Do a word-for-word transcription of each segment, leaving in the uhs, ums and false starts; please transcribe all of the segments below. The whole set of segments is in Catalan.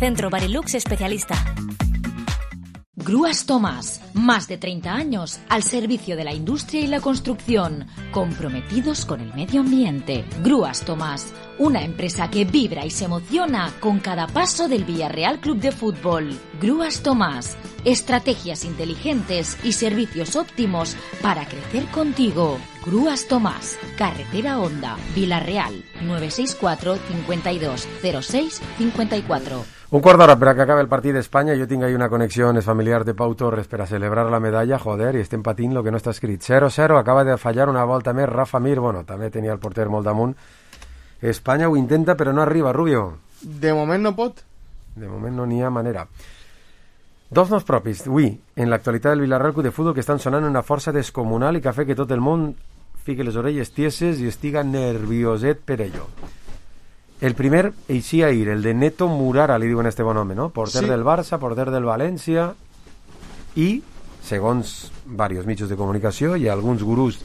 Centro Barilux Especialista. Grúas Tomás, más de treinta años al servicio de la industria y la construcción, comprometidos con el medio ambiente. Grúas Tomás, una empresa que vibra y se emociona con cada paso del Villarreal Club de Fútbol. Grúas Tomás, estrategias inteligentes y servicios óptimos para crecer contigo. Grúas Tomás, Carretera Honda, Villarreal, nueve seis cuatro, cincuenta y dos, cero seis, cincuenta y cuatro. Un quart d'hora per a que acabe el partit d'Espanya. Jo tinc ahí una connexió es familiar de Pau Torres per a celebrar la medalla, joder, i estem patint lo que no està escrit. zero zero, acaba de fallar una volta més Rafa Mir, bueno, també tenia el porter molt damunt. Espanya ho intenta però no arriba, Rubio. De moment no pot. De moment no n'hi ha manera. Dos noms propis, avui, en l'actualitat del Villarreal Club de Futbol, que estan sonant una força descomunal i que ha fet que tot el món fique les orelles tieses i estiga nervioset per ello. El primer eixia ahir, el de Neto Murara, li diuen este bon home, no? Porter sí. del Barça, porter del València, i, segons diversos mitjans de comunicació i alguns gurús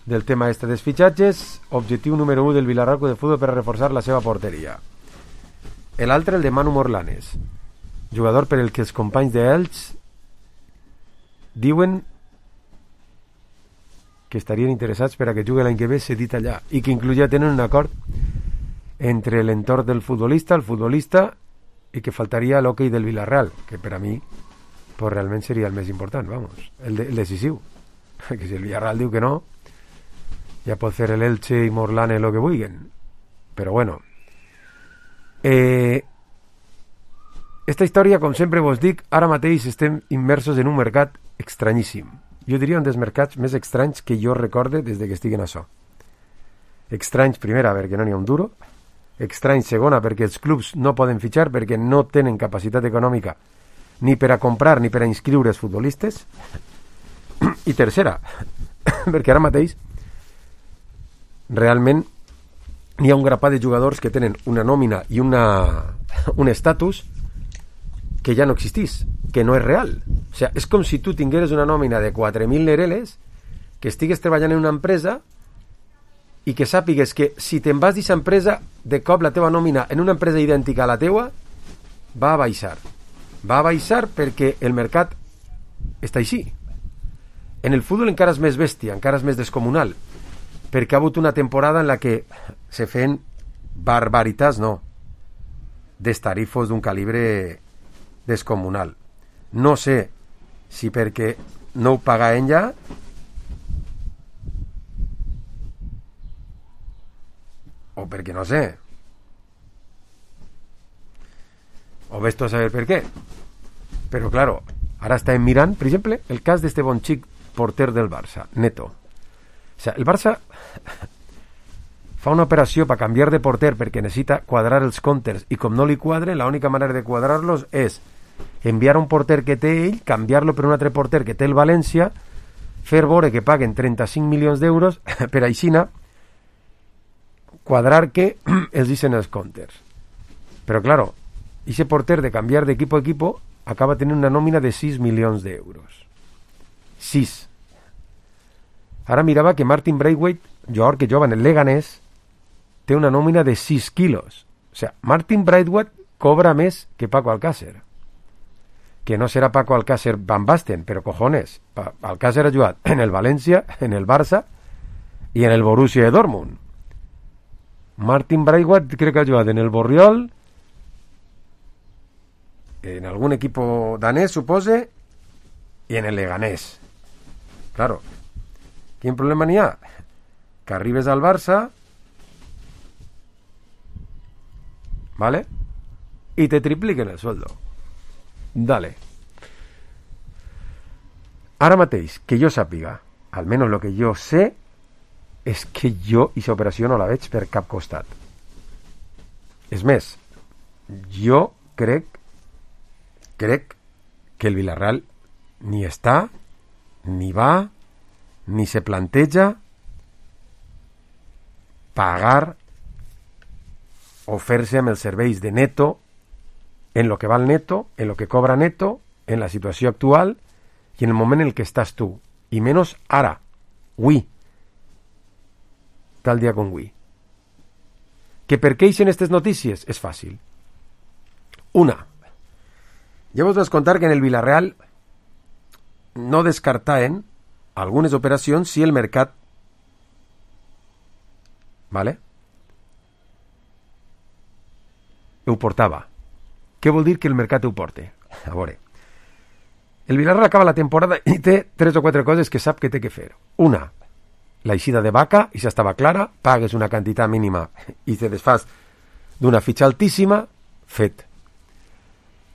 del tema este dels fitxatges, objectiu número u del Villarreal Club de Futbol per a reforçar la seva porteria. L'altre, el de Manu Morlanes, jugador per el que els companys d'Elx diuen que estarien interessats per a que jugui l'any que ve cedit allà, i que inclús ja tenen un acord entre l'entorn del futbolista, el futbolista, i que faltaria l'hoquei del Villarreal, que per a mi pues, realment seria el més important, vamos, el, de, el decisiu. Que si el Villarreal diu que no, ja pot fer l'Elche i Morlane el que vulguin. Però bueno. Eh, esta història, com sempre vos dic, ara mateix estem immersos en un mercat estranyíssim. Jo diria un dels mercats més estranys que jo recorde des de que estic en això. Estranys, primera, perquè no n'hi ha un duro. Estrany, segona, perquè els clubs no poden fitxar perquè no tenen capacitat econòmica ni per a comprar ni per a inscriure els futbolistes. I tercera, perquè ara mateix realment hi ha un grapat de jugadors que tenen una nòmina i una, un estatus que ja no existís, que no és real. O sigui, és com si tu tingueres una nòmina de quatre mil nereles, que estigues treballant en una empresa i que sàpigues que si te'n vas d'aquesta empresa, de cop la teva nòmina en una empresa idèntica a la teua va a baixar. Va a baixar perquè el mercat està així. En el futbol encara és més bèstia, encara és més descomunal, perquè ha hagut una temporada en la que se feien barbaritats, no, destarifos d'un calibre descomunal. No sé si perquè no ho pagaven ja o perquè no sé, o ves tu a saber per què. Però claro, ara estem mirant, per exemple, el cas d'este bon xic porter del Barça, Neto. O sea, el Barça fa una operació per canviar de porter perquè necessita quadrar els comptes i com no li quadre, l'única manera de quadrar-los és enviar un porter que té ell, canviar-lo per un altre porter que té el València, fer veure que paguen trenta-cinc milions d'euros per aixina quadrar que els dicen els comptes. Però claro, ese porter de canviar de equipo a equipo acaba tenint una nòmina de sis milions d'euros. sis. Ara mirava que Martin Braithwaite, jugador que jova en el Leganés, té una nòmina de sis quilos. O sea, Martin Braithwaite cobra més que Paco Alcácer. Que no serà Paco Alcácer Van Basten, però cojones, Alcácer ha jugat en el València, en el Barça i en el Borussia de Dortmund. Martin Braithwaite crec que ha jugat en el Borriol, en algun equipo danès, supose, i en el Leganés. Claro, quin problema n'hi ha? Que arribes al Barça, ¿vale? Y te tripliquen el sueldo. Dale. Ara mateix, que jo sàpiga, almenys lo que jo sé, és que jo aquesta operació no la veig per cap costat. És més, jo crec crec que el Villarreal ni està, ni va, ni se planteja pagar o fer-se amb els serveis de Neto en lo que val Neto, en lo que cobra Neto, en la situació actual i en el moment en el que estàs tu. I menys ara, avui, tal dia com avui. Que per què eixen aquestes notícies? És fàcil. Una, Ja vos vaig contar que en el Villarreal no descartaven algunes operacions si el mercat, vale, ho portava. Què vol dir que el mercat ho porte? A veure, el Villarreal acaba la temporada i té tres o quatre coses que sap que té que fer. Una, la eixida de Vaca, i ja estava clara, pagues una quantitat mínima i te desfas d'una fitxa altíssima, fet.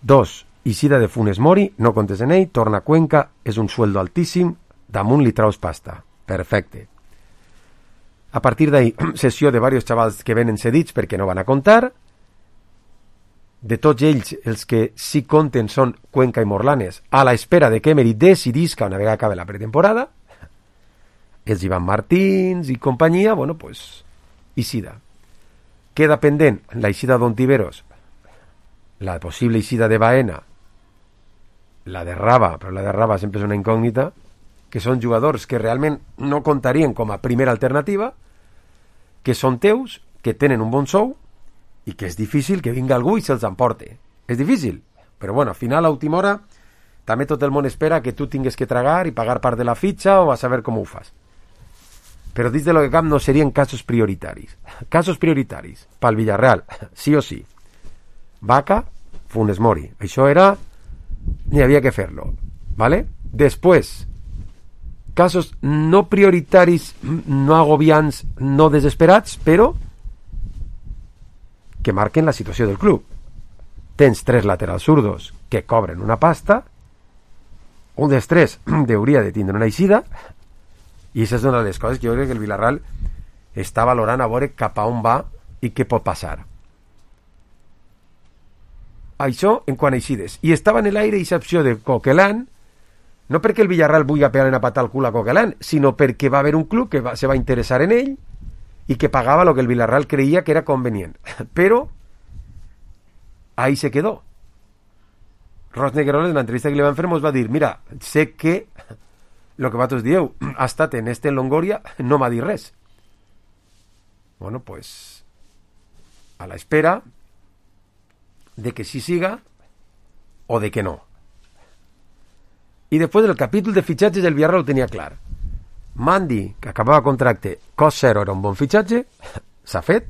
Dos, eixida de Funes Mori, no comptes en ell, torna a Cuenca, és un sueldo altíssim, damunt li traus pasta. Perfecte. A partir d'ahí, sessió de diversos xavals que venen cedits perquè no van a comptar. De tots ells, els que sí compten són Cuenca i Morlanes, a la espera de que Emery decidisca una vegada acabe la pretemporada. Els Ivan Martins i companyia, bueno, pues, eixida. Queda pendent la eixida d'Ontiveros, la possible eixida de Baena, la de Raba, però la de Raba sempre és una incògnita, que són jugadors que realment no comptarien com a primera alternativa, que són teus, que tenen un bon sou, i que és difícil que vinga algú i se'ls emporte. És difícil, però bueno, al final, a última hora, també tot el món espera que tu tingues que tragar i pagar part de la fitxa o a saber com ho fas. Però dins de lo que cap no serien casos prioritaris. Casos prioritaris, pel Villarreal, sí o sí. Vaca, Funes Mori. Això era... Ni havia que fer-lo. ¿Vale? Després, casos no prioritaris, no agobiants, no desesperats, però que marquen la situació del club. Tens tres laterals zurdos que cobren una pasta, un dels tres hauria de tindre una eixida, i aquesta és una de les coses que jo crec que el Villarreal està valorant a veure cap a on va i què pot passar. Això en quant a eixides. I estava en l'aire aquesta opció de Coquelin, no perquè el Villarreal vulgui pegar una patada al cul a Coquelin, sinó perquè va haver un club que va, se va interessar en ell i que pagava el que el Villarreal creia que era convenient. Però ahí se quedó. Ros Negueroles, en l'entrevista que li van fer, ens va dir, mira, sé que el que vosaltres dieu ha estat en este Longoria, no m'ha dit res. Bueno, pues a la espera de que sí siga o de que no. I després del capítol de fitxatges el Villarreal ho tenia clar. Mandi, que acabava contracte, cost zero, era un bon fitxatge, s'ha fet.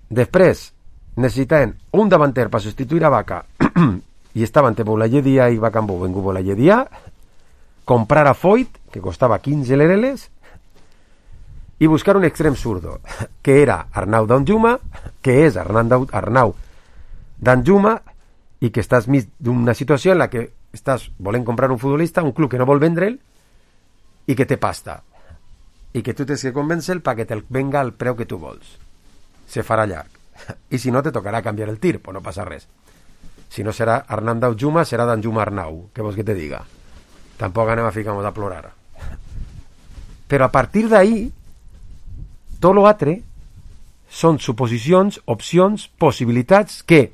Després necessitaven un davanter per substituir a Vaca i estaven entre Boulaye Dia i Bacambó, vengut Boulaye Dia, comprar a Foyt, que costava quinze lereles, i buscar un extrem zurdo, que era Arnau Danjuma, que és Arnau, Arnau Danjuma, i que estàs mig d'una situació en la que estàs volent comprar un futbolista, un club que no vol vendre'l, i que té pasta, i que tu tens que convèncer-lo perquè te'l venga al preu que tu vols. Se farà llarg. I si no, te tocarà canviar el tir, però no passa res. Si no serà Arnau Danjuma, serà Danjuma Arnau, què vols que te diga? Tampoc anem a ficar-nos a plorar. Però a partir d'ahí, tot l'altre són suposicions, opcions, possibilitats que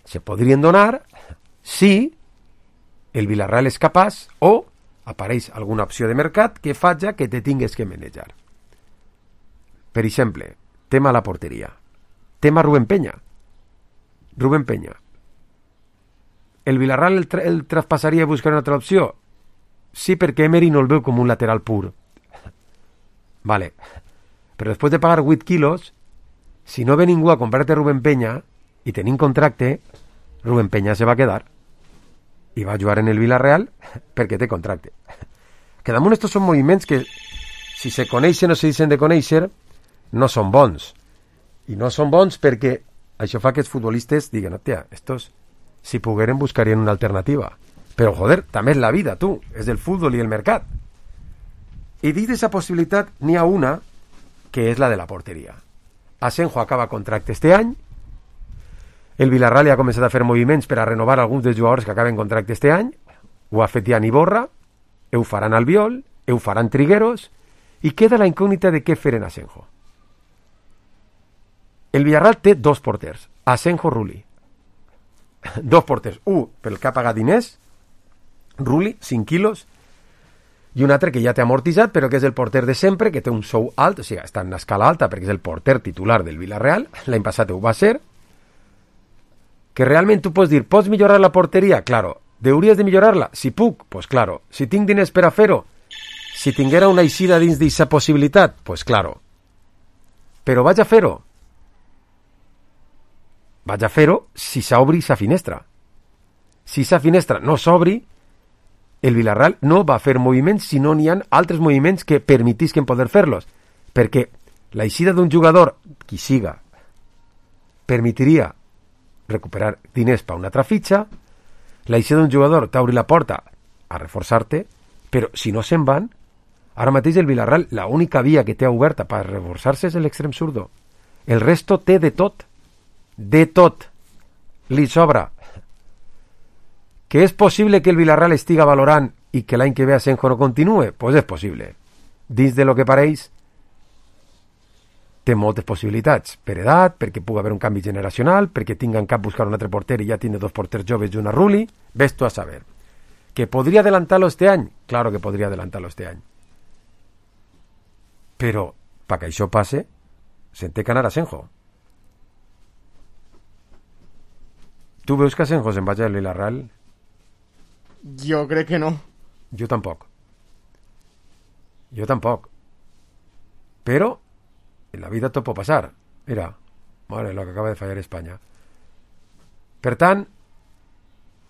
se podrien donar si el Villarreal és capaç o apareix alguna opció de mercat que faci que te tingues que manejar. Per exemple, tema la porteria. Tema Rubén Peña. Rubén Peña. El Villarreal el, tra el traspassaria a buscar una altra opció? Sí, perquè Emery no el veu com un lateral pur. Vale. Però després de pagar vuit quilos, si no ve ningú a comprar-te Rubén Peña i tenint contracte, Rubén Peña se va quedar i va jugar en el Villarreal perquè té contracte. Que damunt estos són moviments que, si se coneixen o se deixen de conèixer, no són bons. I no són bons perquè això fa que els futbolistes diguen, hòstia, estos, si pogueren, buscarien una alternativa. Però, joder, també és la vida, tu. És el futbol i el mercat. I dins d'aquesta possibilitat n'hi ha una que és la de la porteria. Asenjo acaba contracte este any. El Villarreal ja ha començat a fer moviments per a renovar alguns dels jugadors que acaben contracte este any. Ho ha fet ja Iborra, ho faran Albiol, ho faran Trigueros, i queda la incògnita de què fer en Asenjo. El Villarreal té dos porters, Asenjo, Rulli. Dos porters, un pel que ha pagat diners, Rulli, cinc quilos, i un altre que ja té amortitzat, però que és el porter de sempre, que té un sou alt, o sigui, està en una escala alta, perquè és el porter titular del Villarreal, l'any passat ho va ser, Que realment tu pots dir, pots millorar la porteria? Claro. Deuries de millorar-la? Si puc, pues claro. Si tinc diners per a fer-ho? Si tinguera una eixida dins d'aquesta possibilitat? Pues claro. Però vaig a fer-ho. Vaig a fer-ho si s'obri sa finestra. Si sa finestra no s'obri, el Villarreal no va fer moviments si no n'hi ha altres moviments que permetisquen poder fer-los. Perquè l'eixida d'un jugador, qui siga, permitiria recuperar diners per una altra fitxa, l'eixida d'un jugador t'obri la porta a reforçar-te, però si no se'n van, ara mateix el Villarreal, l'única via que té oberta per reforçar-se és l'extrem zurdo. El resto té de tot. De tot. Li sobra. Que és possible que el Villarreal estiga valorant i que l'any que ve Asenjo no continue? Pues és possible. Dins de lo que pareix, té moltes possibilitats. Per edat, perquè pugui haver un canvi generacional, perquè tinga en cap buscar un altre porter i ja tingui dos porters joves i una Rulli. Ves tu a saber. ¿Que podría adelantarlo este any? Claro que podria adelantarlo este any. Però, para que això passe, se'n té que anar a Asenjo. Tu veus que Asenjo se'n vagi al Villarreal? Jo crec que no. Jo tampoc. Jo tampoc. Però, en la vida tot pot passar. Mira, mare, lo que acaba de fallar Espanya. Per tant,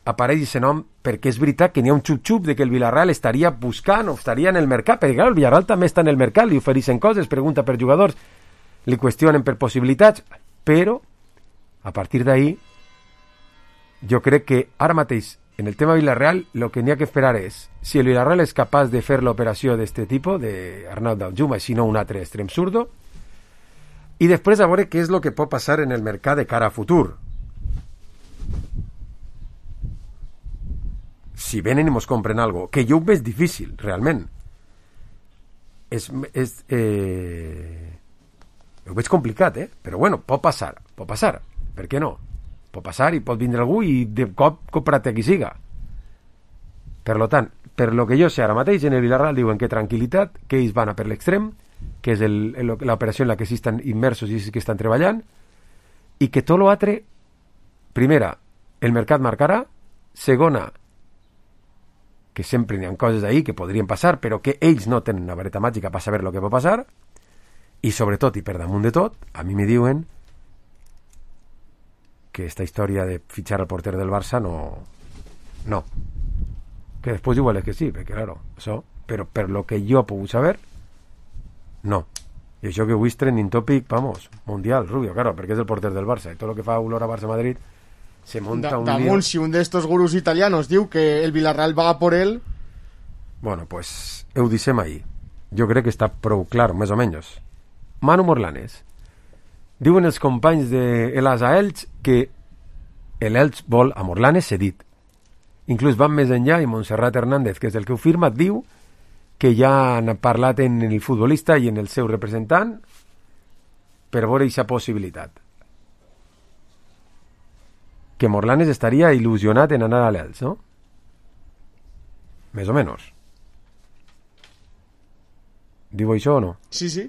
apareix aquest nom perquè és veritat que n'hi ha un xup-xup de que el Villarreal estaria buscant o estaria en el mercat, perquè clar, el Villarreal també està en el mercat, li ofereixen coses, pregunta per jugadors, li qüestionen per possibilitats, però a partir d'ahí jo crec que ara mateix en el tema Villarreal el que n'hi ha que esperar és si el Villarreal és capaç de fer l'operació d'aquest tipus d'Arnau Danjuma, si no un altre extrem zurdo, i després a veure què és el que pot passar en el mercat de cara a futur. Si venen i mos compren algo, que jo ho veig difícil, realment. És, és, eh... ho veig complicat, eh? Però bueno, pot passar, pot passar. Per què no? Pot passar i pot vindre algú i de cop comprar-te qui siga. Per lo tant, per lo que jo sé ara mateix, en el Villarreal diuen que tranquil·litat, que ells van a per l'extrem, que és l'operació en la que sí estan immersos i sí que estan treballant, i que tot l'altre, primera, el mercat marcarà, segona, que sempre n'hi ha coses ahí que podrien passar, però que ells no tenen una vareta màgica per saber el que pot passar, i sobretot, i per damunt de tot, a mi me diuen que esta història de fitxar al porter del Barça no... no. Que després igual és que sí, perquè, claro, això, però per lo que jo he pogut saber, no. I això que avui és trending topic, vamos, mundial, Rubio, claro, perquè és el porter del Barça, i tot el que fa olor a Barça-Madrid se monta da, un damunt, lío. Si un d'estos gurús italianos diu que el Villarreal va por él... Bueno, pues ho dissem ahí. Jo crec que està prou clar, més o menys. Manu Morlanes. Diuen els companys de l'A S A Elx que l'Elx vol a Morlanes cedit. Inclús van més enllà i Montserrat Hernández, que és el que ho firma, diu que ja han parlat en el futbolista i en el seu representant per veure aquesta possibilitat. Que Morlanes estaria il·lusionat en anar a l'Elx, no? Més o menys. Diu això o no? Sí, sí.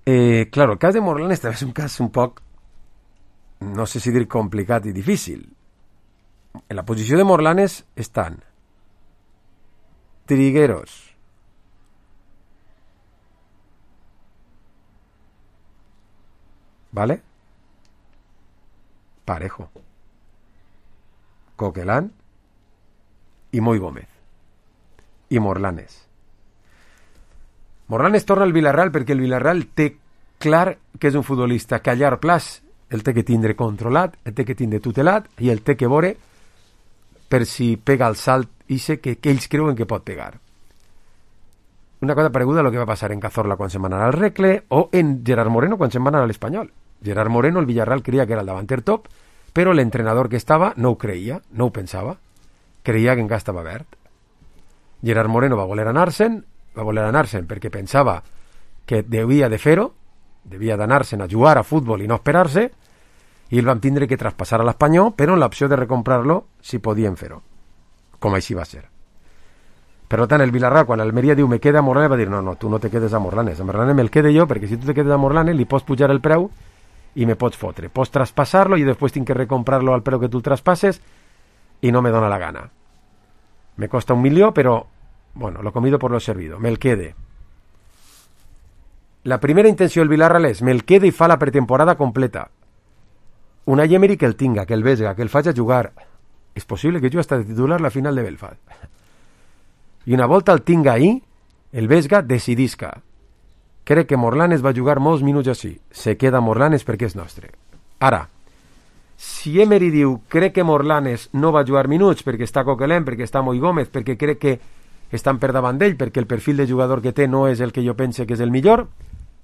Eh, claro, el cas de Morlanes també és un cas un poc, no sé si dir complicat i difícil. En la posició de Morlanes estan Trigueros, ¿vale? Parejo, Coquelán i Moi Gómez i Morlanes. Morlanes torna al Villarreal perquè el Villarreal té clar que és un futbolista que a llarg plaç el té que tindre controlat, el té que tindre tutelat i el té que veure per si pega el salt ixe que, que ells creuen que pot pegar. Una cosa pareguda a lo que va passar en Cazorla quan se'n van anar al Recle o en Gerard Moreno quan se'n van anar a l'Espanyol. Gerard Moreno, el Villarreal creia que era el davanter top, però l'entrenador que estava no ho creia, no ho pensava, creia que encara estava verd. Gerard Moreno va voler anar-se'n, va voler anar-se'n perquè pensava que devia de fer-ho, devia d'anar-se'n a jugar a futbol i no esperar-se, i el van tindre que traspassar a l'Espanyol, però en l'opció de recomprar-lo si podien fer-ho, com així va ser. Per tant, el Villarreal, quan l'Almeria diu me queda a Morlanes, va dir no, no, tu no te quedes a Morlanes, a Morlanes me'l quede jo, perquè si tu te quedes a Morlanes li pots pujar el preu i me pots fotre. Pots traspassar-lo i després tinc que recomprar-lo al preu que tu el traspasses i no me dona la gana. Me costa un milió, però, bueno, lo comido por lo servido. Me el quede. La primera intenció del Villarreal és me el quede i fa la pretemporada completa. Una Emery que el tinga, que el vesga, que el faci jugar. És possible que jo hasta de titular la final de Belfast. I una volta el tinga ahí, el vesga decidisca. Crec que Morlanes va jugar molts minuts així. Se queda Morlanes perquè és nostre. Ara, si Emery diu crec que Morlanes no va jugar minuts perquè està Coquelin, perquè està Moi Gómez, perquè crec que estan per davant d'ell, perquè el perfil de jugador que té no és el que jo pense que és el millor,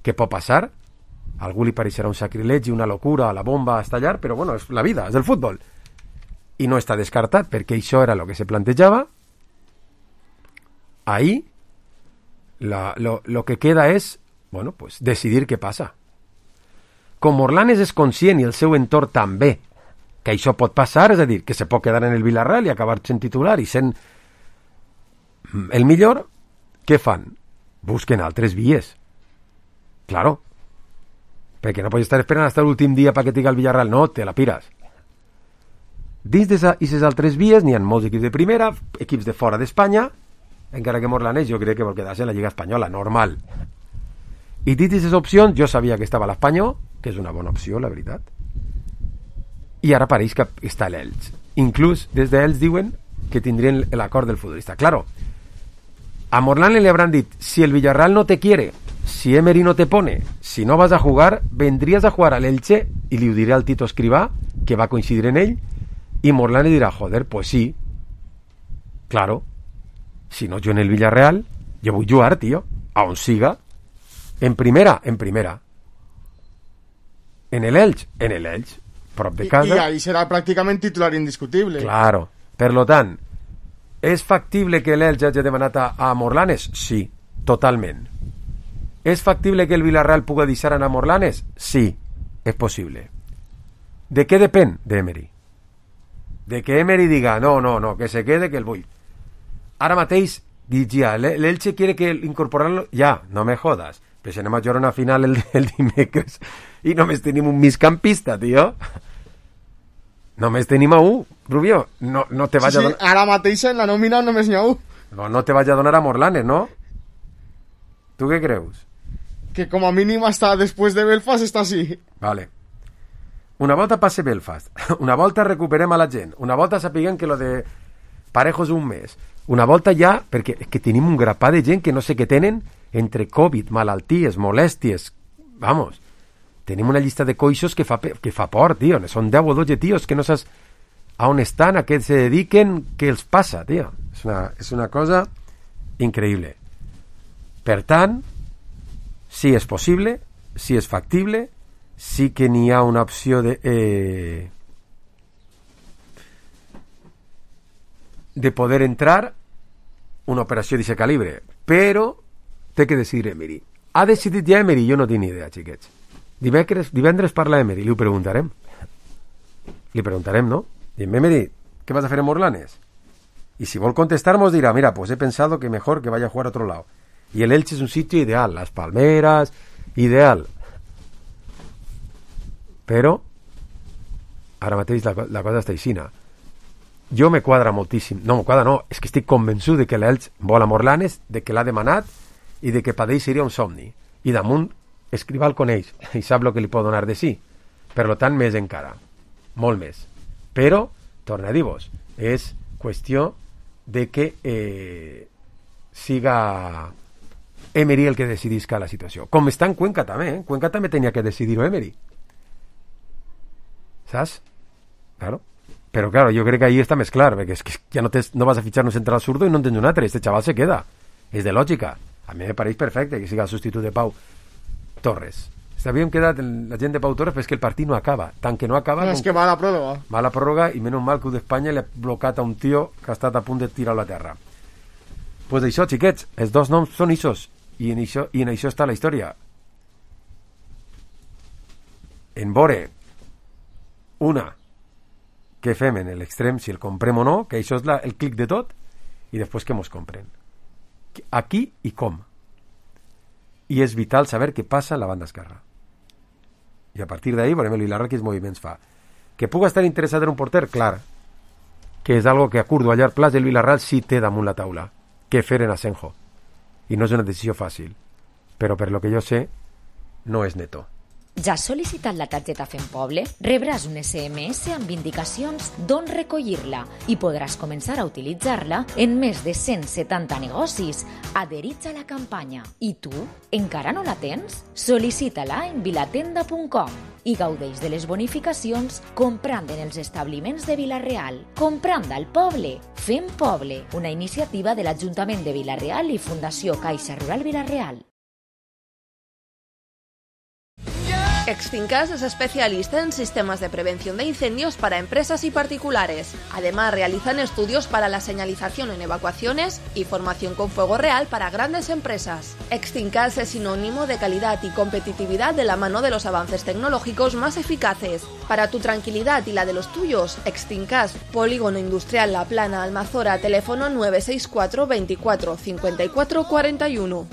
què pot passar? A algú li pareixerà un sacrilegi, una locura, la bomba a estallar, però bueno, és la vida, és el futbol. I no està descartat, perquè això era el que se plantejava. Ahí, la, lo, lo que queda és, bueno, pues decidir què passa. Com Morlanes és conscient i el seu entorn també que això pot passar, és a dir, que se pot quedar en el Villarreal i acabar sent titular i sent el millor, què fan? Busquen altres vies. Claro. Perquè no pots estar esperant hasta l'últim dia perquè t'higa el Villarreal. No, te la pires. Dins d'aquestes altres vies n'hi ha molts equips de primera, equips de fora d'Espanya, encara que Morlanes jo crec que vol quedar-se en la Lliga Espanyola, normal. I dins d'aquestes opcions jo sabia que estava l'Espanyol, que és una bona opció, la veritat. I ara pareix que està l'Elx. Inclús des d'Elx diuen que tindrien l'acord del futbolista. Claro, a Morlanes le habrán dit, si el Villarreal no te quiere, si Emery no te pone, si no vas a jugar, vendrías a jugar al Elche, i li ho diré al Tito Escrivá, que va coincidir en ell, i Morlanes dirà, joder, pues sí, claro, si no jo en el Villarreal, jo vull jugar, tío, a on siga, en primera, en primera, en el Elx, en el Elx, prop de casa. I, i ahí serà pràcticament titular indiscutible. Claro, per lo tant, és factible que l'Elx hagi demanat a, a Morlanes? Sí, totalment. És factible que el Villarreal pugui deixar anar a Morlanes? Sí, és possible. De què depèn? D'Emery. De que Emery diga, no, no, no, que se quede, que el vull. Ara mateix, dic ja, l'Elche quiere que incorporarlo, ja, no me jodas. Però si anem a jugar una final el, el dimecres i només tenim un migcampista, tio. Només tenim a un, Rubio. No, no te vaig sí, a sí, donar... ara mateix en la nòmina només n'hi ha un. No, no te vaig a donar a Morlanes, no? Tu què creus? Que com a mínim hasta després de Belfast està així. Vale. Una volta passe Belfast, una volta recuperem a la gent, una volta sapiguem que lo de Parejo és un mes, una volta ja, perquè és que tenim un grapà de gent que no sé què tenen, entre Covid, malalties, molèsties, vamos, tenim una llista de coixos que fa, que fa por, tio, són deu o dotze tios que no saps a on estan, a què se dediquen, què els passa, tio, és una, és una cosa increïble. Per tant, sí és possible, sí és factible, sí que n'hi ha una opció de eh, de poder entrar una operació d'aquest calibre, però té que decidir Emery. Ha decidit ja Emery? Jo no tinc ni idea, xiquets. Divendres, divendres parla Emery, li ho preguntarem. Li preguntarem, ¿no? Dime, Emery, ¿qué vas a hacer en Morlanes? Y si vol contestar, nos dirá, mira, pues he pensado que mejor que vaya a jugar a otro lado. Y el Elche es un sitio ideal, las palmeras, ideal. Però ara mateix la, la cosa està aixina. Jo me quadra moltíssim. No, me quadra no, és que estic convençut de que l'Elx vol a Morlanes, de que l'ha demanat i de que per ell seria un somni. I damunt, Escrivá el coneix i sap el que li pot donar de sí. Per tant, més encara. Molt més. Però, torna a dir-vos, és qüestió de que eh, siga Emery el que decidisca la situació. Com està en Cuenca també, eh? Cuenca també tenia que decidir-ho Emery. ¿Sabes? Claro. Pero claro, yo creo que ahí está més clar, perquè és que ja no, te, no vas a fichar un central zurdo i no en tens un altre. Este chaval se queda. És de lògica. A mi me pareix perfecte que siga el substitut de Pau Torres. S'havíem quedat la gent de Pau Torres, però és que el partit no acaba. Tant que no acaba... No, és que va a la pròrroga. Va a la pròrroga i menys mal que el d'Espanya li ha blocat a un tio que ha estat a punt de tirar-lo a terra. Doncs pues això, xiquets, els dos noms són ixos. I en això, i en això està la història. En vore una què fem en l'extrem, si el comprem o no, que això és la, el clic de tot, i després que mos compren. Aquí i com. I és vital saber què passa a la banda esquerra. I a partir d'ahir veurem el Villarreal quins moviments fa. Que puga estar interessat en un porter, clar, que és algo que a curt o a llarg plaç el Villarreal sí té damunt la taula, que fer en Asenjo. I no és una decisió fàcil, però per lo que jo sé, no és neto. Ja has sol·licitat la targeta Fem Poble? Rebràs un esse eme esse amb indicacions d'on recollir-la i podràs començar a utilitzar-la en més de cent setanta negocis adherits a la campanya. I tu, encara no la tens? Sol·licita-la en vilatenda punt com i gaudeix de les bonificacions comprant en els establiments de Vila-real. Comprant al poble. Fem Poble, una iniciativa de l'Ajuntament de Vila-real i Fundació Caixa Rural Vila-real. Extincas es especialista en sistemas de prevención de incendios para empresas y particulares. Además, realizan estudios para la señalización en evacuaciones y formación con fuego real para grandes empresas. Extincas es sinónimo de calidad y competitividad de la mano de los avances tecnológicos más eficaces. Para tu tranquilidad y la de los tuyos, Extincas, Polígono Industrial La Plana, Almazora, teléfono nueve seis cuatro veinticuatro cincuenta y cuatro cuarenta y uno.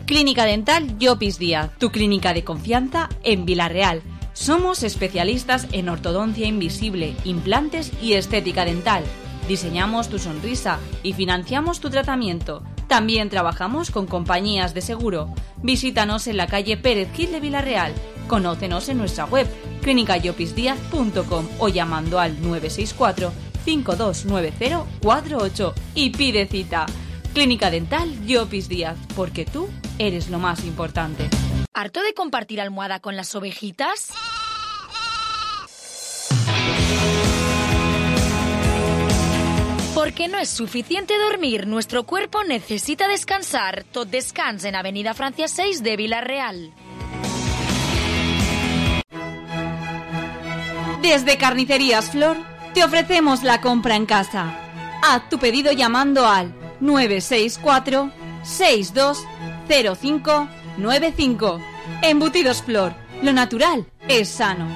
Clínica Dental Llopis Díaz, tu clínica de confianza en Vila-real. Somos especialistas en ortodoncia invisible, implantes y estética dental. Diseñamos tu sonrisa y financiamos tu tratamiento. También trabajamos con compañías de seguro. Visítanos en la calle Pérez Gil de Vila-real. Conócenos en nuestra web clínica llopis díaz punto com o llamando al nueve seis cuatro cinco dos nueve cero cuatro ocho y pide cita. Clínica Dental Llopis Díaz, porque tú eres lo más importante. ¿Harto de compartir almohada con las ovejitas? Porque no es suficiente dormir, nuestro cuerpo necesita descansar. Tot descans en Avenida Francia seis de Vila-real. Desde Carnicerías Flor te ofrecemos la compra en casa. Haz tu pedido llamando al nueve seis cuatro seis dos cero cinco nueve cinco. Embutidos Flor, lo natural es sano.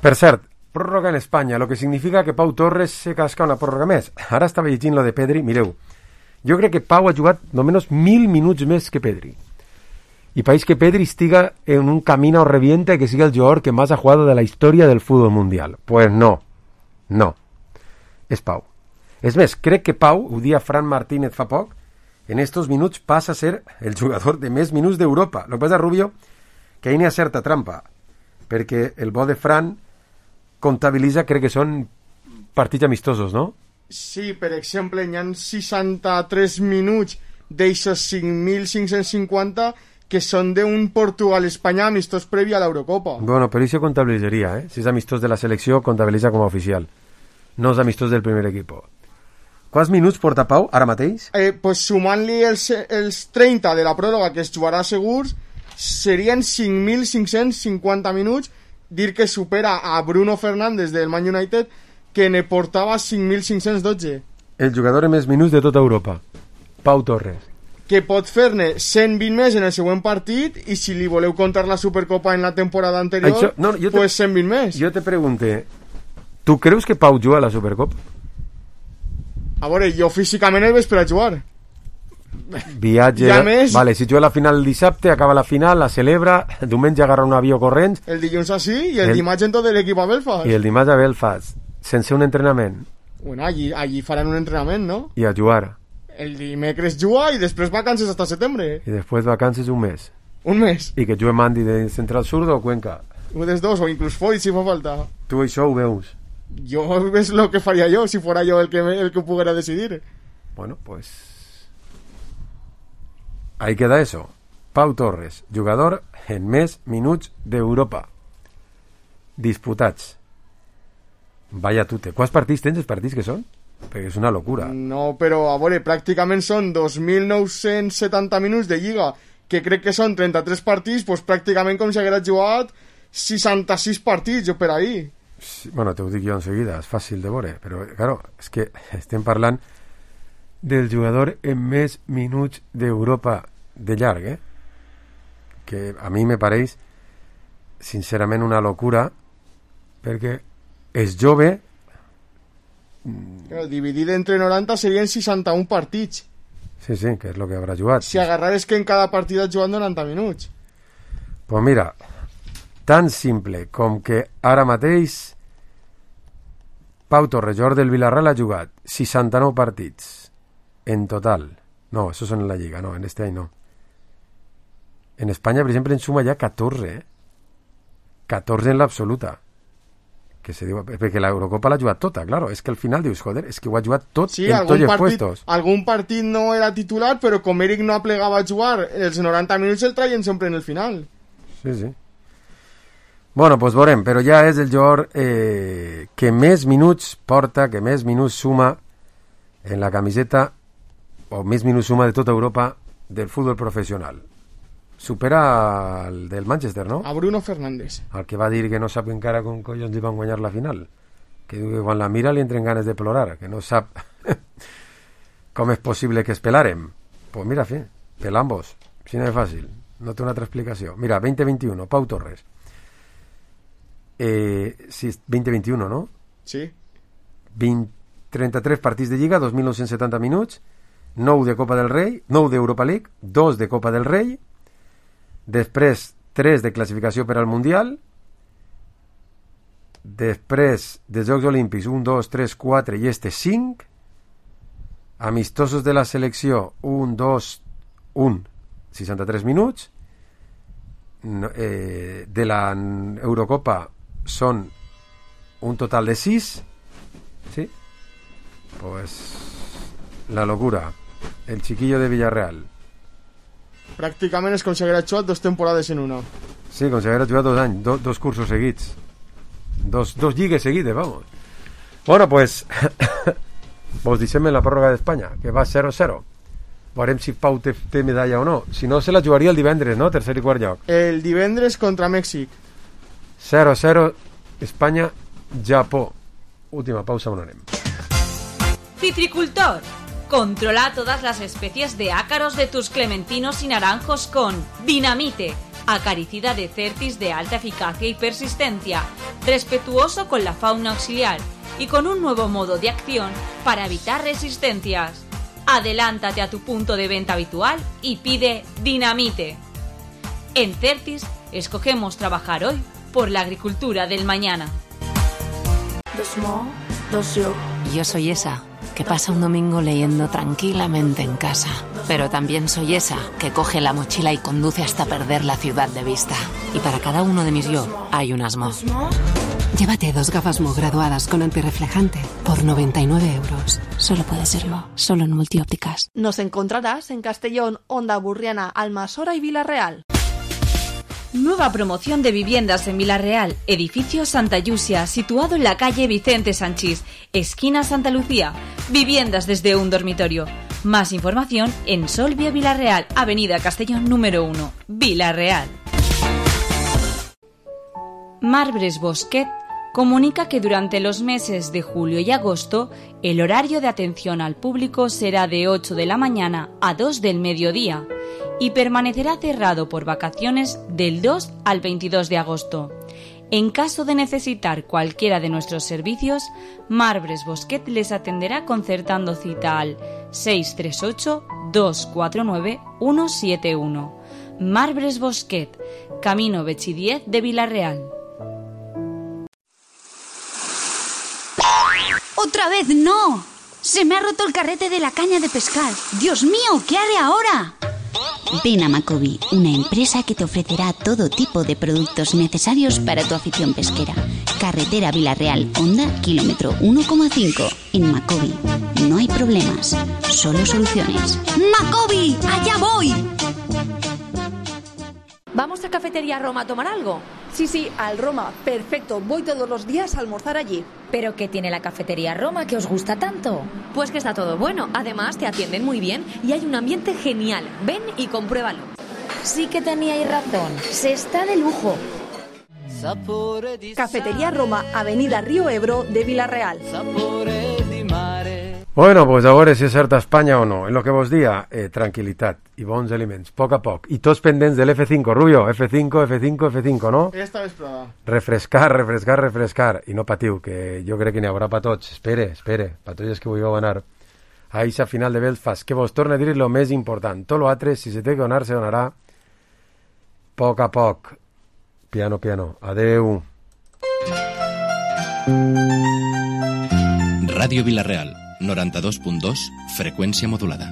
Per cert, pròrroga en Espanya, lo que significa que Pau Torres se casca una pròrroga més. Ara estava llegint lo de Pedri, mireu, jo crec que Pau ha jugat només mil minuts més que Pedri. Y país que Pedri estiga en un camino o reviente que siga el jugador que más ha jugado de la historia del fútbol mundial. Pues no, no, és Pau. És més, crec que Pau, ho dia Fran Martínez fa poc, en estos minuts passa a ser el jugador de més minuts d'Europa. Lo que passa, Rubio, que ahí n'hi ha certa trampa, perquè el bo de Fran comptabilitza, crec que són partits amistosos, no? Sí, per exemple, hi ha seixanta-tres minuts d'eixos cinc mil cinc-cents cinquanta que són d'un Portugal-Espanya amistós previ a l'Eurocopa. Bueno, però això comptabilitzaria, eh? Si és amistós de la selecció, comptabilitza com a oficial. No és amistós del primer equip. Quants minuts porta Pau ara mateix? Eh, pues sumant-li els, els trenta de la pròrroga que es jugarà segurs, serien cinc mil cinc-cents cinquanta minuts, dir que supera a Bruno Fernández del Man United, que ne portava cinc mil cinc-cents dotze. El jugador amb més minuts de tota Europa, Pau Torres. Que pot fer-ne cent vint més en el següent partit, i si li voleu contar la Supercopa en la temporada anterior, Això, no, te, pues cent vint més. Jo te pregunte, tu creus que Pau juga a la Supercopa? A veure, jo físicament el veig per a jugar. Viatge... Ja més... Vale, si juga la final el dissabte, acaba la final, la celebra, diumenge agarra un avió corrents... El dilluns així i el, el... dimarts en tot l'equip a Belfast. I el dimarts a Belfast, sense un entrenament. Bueno, allí, allí faran un entrenament, no? I a jugar. El dimecres juga i després vacances hasta setembre. I després vacances un mes. Un mes. I que jugue Mandi de Central Sur o Cuenca. Un dels dos, o inclús Foy, si fa falta. Tu això ho veus? Jo ves lo que faria jo si fora jo el que, el que pudiera decidir. Bueno, pues ahí queda eso. Pau Torres, jugador en més minuts d'Europa disputats. Vaya tute. Quants partits tens, els partits que són? Perquè és una locura. No, però a veure, pràcticament són dos mil nou-cents setanta minuts de Lliga, que crec que són trenta-tres partits, doncs pràcticament com si haguera jugat seixanta-sis partits, jo per ahí. Sí, bueno, te ho dic jo en seguida, és fàcil de veure, però, claro, és que estem parlant del jugador en més minuts d'Europa de llarg, eh? Que a mi me pareix sincerament una locura, perquè és jove. Claro, dividit entre noranta serien seixanta-un partits. Sí, sí, que és el que haurà jugat. Si agarrares que en cada partit has jugat noranta minuts. Pues mira, tan simple com que ara mateix Pau Torres, jugador del Villarreal, ha jugat seixanta-nou partits en total. No, eso son en la Lliga, no, en este any no. En Espanya, per exemple, en suma ja catorze, eh? catorze en l'absoluta. Que se diu, perquè l'Eurocopa l'ha jugat tota, claro. És que al final dius, joder, és que ho ha jugat tot sí, en tots els partit, puestos. Algun partit no era titular, però com Eric no aplegava a jugar, els noranta minuts el traien sempre en el final. Sí, sí. Bueno, pues veurem, però ja és el jugador eh, que més minuts porta, que més minuts suma en la camiseta, o més minuts suma de tota Europa del futbol professional. Supera el del Manchester, no? A Bruno Fernández. El que va dir que no sap encara com collons li van guanyar la final. Que diu que quan la mira li entren ganes de plorar, que no sap com és possible que es pelaren. Pues mira, fi, pelambos. Si no és fàcil, no té una altra explicació. Mira, veinte veintiuno, Pau Torres. Eh, sí, veinte veintiuno, no? Sí. vint, trenta-tres partits de Lliga, dos mil nou-cents setanta minuts, nou de Copa del Rei, nou d'Europa League, dos de Copa del Rei, després tres de classificació per al Mundial, després de Jocs Olímpics un, dos, tres, quatre i este cinc, amistosos de la selecció un, dos, un, seixanta-tres minuts, no, eh, de la Eurocopa són un total de sis, sí, pues la locura, el chiquillo de Villarreal. Pràcticament és com si haguera jugat dos temporades en una. Sí, com si haguera jugat dos anys, do, dos cursos seguits, dos, dos lligues seguides, vamos. Bueno, pues vos deixem en la pròrroga d'Espanya, que va zero zero. Veurem si Pau té, té medalla o no. Si no, se la jugaria el divendres, no? Tercer i quart lloc. El divendres contra Mèxic. zero zero, Espanya, Japó. Última pausa, on anem. Citricultor. Controla todas las especies de ácaros de tus clementinos y naranjos con Dinamite, acaricida de Certis de alta eficacia y persistencia, respetuoso con la fauna auxiliar y con un nuevo modo de acción para evitar resistencias. Adelántate a tu punto de venta habitual y pide Dinamite. En Certis escogemos trabajar hoy por la agricultura del mañana. Yo soy esa que pasa un domingo leyendo tranquilamente en casa, pero también soy esa que coge la mochila y conduce hasta perder la ciudad de vista. Y para cada uno de mis yo hay un Asmo. Llévate dos gafas Mo graduadas con antirreflejante por noventa y nueve euros. Solo puede ser Mo, solo en Multiópticas. Nos encontrarás en Castellón, Onda Burriana, Almasora y Villarreal. Nueva promoción de viviendas en Villarreal, edificio Santa Yusia, situado en la calle Vicente Sanchís, esquina Santa Lucía. Viviendas desde un dormitorio. Más información en Solvia Villarreal, avenida Castellón número uno, Villarreal. Marbres Bosquet comunica que durante los meses de julio y agosto el horario de atención al público será de ocho de la mañana a dos del mediodía y permanecerá cerrado por vacaciones del dos al veintidós de agosto. En caso de necesitar cualquiera de nuestros servicios, Marbres Bosquet les atenderá concertando cita al seis tres ocho, dos cuatro nueve, uno siete uno. Marbres Bosquet, Camino Bechidiez de Villarreal. ¡Otra vez no! Se me ha roto el carrete de la caña de pescar. ¡Dios mío! ¿Qué haré ahora? Ven a Macobi, una empresa que te ofrecerá todo tipo de productos necesarios para tu afición pesquera. Carretera Villarreal, Honda, kilómetro uno coma cinco. En Macobi no hay problemas, solo soluciones. ¡Macobi! ¡Allá voy! ¿Vamos a Cafetería Roma a tomar algo? Sí, sí, al Roma. Perfecto, voy todos los días a almorzar allí. ¿Pero qué tiene la Cafetería Roma que os gusta tanto? Pues que está todo bueno. Además, te atienden muy bien y hay un ambiente genial. Ven y compruébalo. Sí que teníais razón. Se está de lujo. Cafetería Roma, avenida Río Ebro de Villarreal. Bueno, pues a veure si és certa Espanya o no. En lo que vos dia, eh, tranquil·litat i bons aliments, a poc a poc. I tots pendents de l'F cinco, Rubio. F cinco, F cinco, F cinco, no? Esta vesprada. Refrescar, refrescar, refrescar. I no patiu, que jo crec que n'hi haurà pa tots. Espere, espere, pa tots els que vulgueu anar a eixa final de Belfast. Que vos torne a dir lo més important. Tot l'altre, si se té que donar, se donarà a poc a poc. Piano, piano. Adeu. Ràdio Vila-real, noranta-dos punt dos, freqüència modulada.